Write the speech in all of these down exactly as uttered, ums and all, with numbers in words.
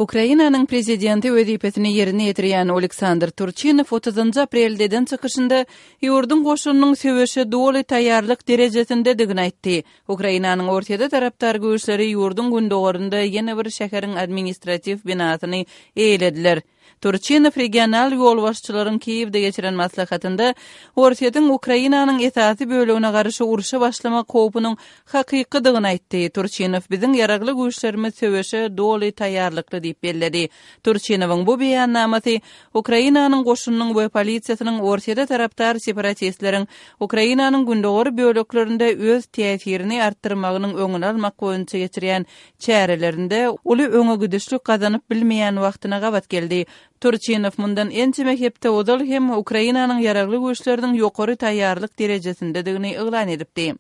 Ukrainanyň prezidenti wezipesini ýerine ýetirýän Oleksandr Turçinow otuzynjy aprelde eden çykyşynda ýurduň goşunynyň söweşe doly taýýarlyk derejesindedigini aýtdy. Ukrainanyň Orsýete tarapdar güýçleri ýurduň gündogarynda ýene bir şäheriň administratiw binasyny eýelediler. Turçinow regional ýolbaşçylaryň Kiýewde geçiren maslahatynda Orsýetiň Ukrainanyň esasy bölegine garşy urşa başlamak howpunyň hakykydygyny aýtdy. Turçinow biziň ýaragly güýçlerimiz söweşe doly taýýarlykly diýip belledi. Turçinowyň bu beýannamasy Ukrainanyň goşunynyň we polisiýasynyň Orsýete tarapdar separatistleriň Ukrainanyň gündogar böleklerinde öz täsirini artdyrmagynyň öňüni almak boýunça geçirýän çärelerinde uly öňe gidişlik gazanyp bilmeýän wagtyna gabat geldi. Turçinow mundan ençeme hepde ozal hem Ukrainanyň ýaragly güýçleriniň ýokary taýýarlyk derejesindedigini yglan edipdi.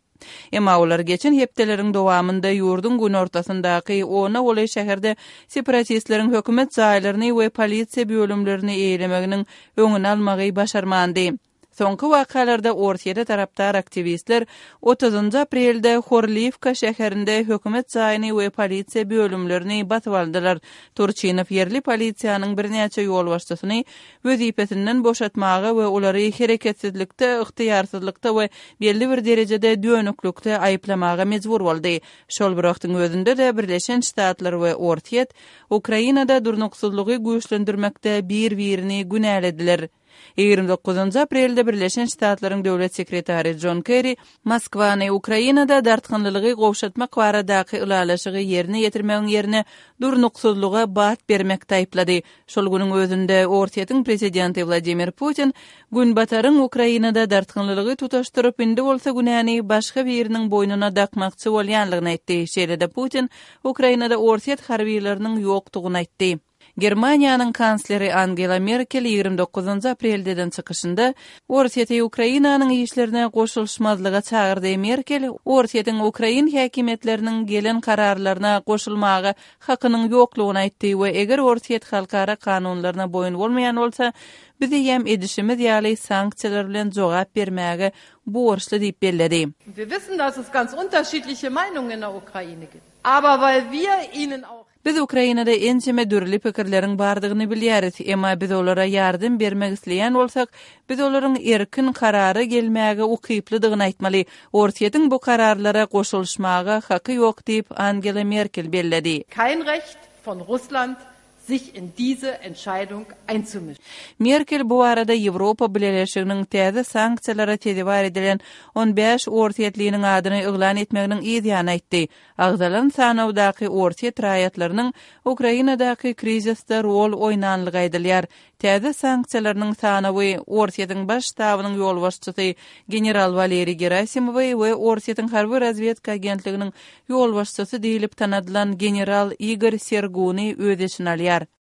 Emma olar geçen hepdeleriň dowamynda ýurduň günortasyndaky ona golaý şäherde separatistleriň hökümet jaýlaryny we polisiýa bölümlerini eýelemeginiň öňüni almagy başarmandy. Soňky wakalarda Orsýete tarapdar aktiwistler otuzynjy aprelde Horliwka şäherinde hökümet jaýyny we polisiýa bölümlerini basyp aldylar. Turçinow ýerli polisiýanyň birnäçe ýolbaşçysyny wezipesinden boşatmaga we olary hereketsizlikde, ygtyýarsyzlykda we belli bir derejede dönüklikde aýyplamaga mejbur boldy. Şol bir wagtyň özünde-de Birleşen Ştatlar we Orsýet Ukrainada durnuksyzlygy güýçlendirmekde bir-birini günälediler. Ýigrimi dokuzynjy aprelde Birleşen Ştatlaryň döwlet sekretary Jon Kerri Moskwany Ukrainada dartgynlylygy gowşatmak baradaky ylalaşygy ýerine ýetirmegiň ýerine durnuksyzlyga bat bermekde aýyplady. Şol günüň özünde Orsýetiň prezidenti Wladimir Putin Günbataryň Ukrainada dartgynlylygy tutaşdyryp, indi bolsa günäni başga biriniň boýnuna dakmakçy bolýanlygyny aýtdy. Şeýle-de Putin Ukrainada orsýet harbylarynyň ýokdugyny aýtdy. Germaniýanyň kansleri Angela Merkel ýigrimi dokuzynjy aprelde eden çykyşynda Orsýeti Ukrainanyň işlerine goşulyşmazlyga çagyrdy. Merkel Orsýetiň ukrain häkimiýetleriniň gelen kararlaryna goşulmaga hakynyň ýoklugyny aýtdy we eger Orsýet halkara kanunlaryna boýun bolmaýan bolsa, biz eýýäm edişimiz ýaly sanksiýalar bilen jogap bermäge borçly diýip belledi. Wir wissen, dass es ganz unterschiedliche Meinungen in der Ukraine gibt. Aber weil wir ihnen auch Biz Ukrainada ençeme dürli pikirleriň bardygyny bilýäris, emma biz olara ýardam bermek isleýän bolsak, biz olaryň erkin karara gelmäge ukyplydygyny aýtmaly. Orsýetiň bu kararlara goşulyşmaga haky ýok diýip, Angela Merkel belledi. Kein Recht von Russland, sich in diese Entscheidung einzumischen. Merkel bu barada Ýewropa Bileleşiginiň täze sanksiýalara sezewar edilen on bäş orsýetliniň adyny yglan etmeginiň yz ýany aýtdy. Agzalan sanawdaky orsýet raýatlarynyň Ukrainadaky krizisde rol oýnanlygy aýdylýar. Täze sanksiýalarynyň sanawy Orsýetiň baş ştabynyň ýolbaşçysy general Waleriý Gerasimowy we Orsýetiň harby razwedka agentliginiň ýolbaşçysy diýlip tanadylan general Igor Serguny öz içine alýar.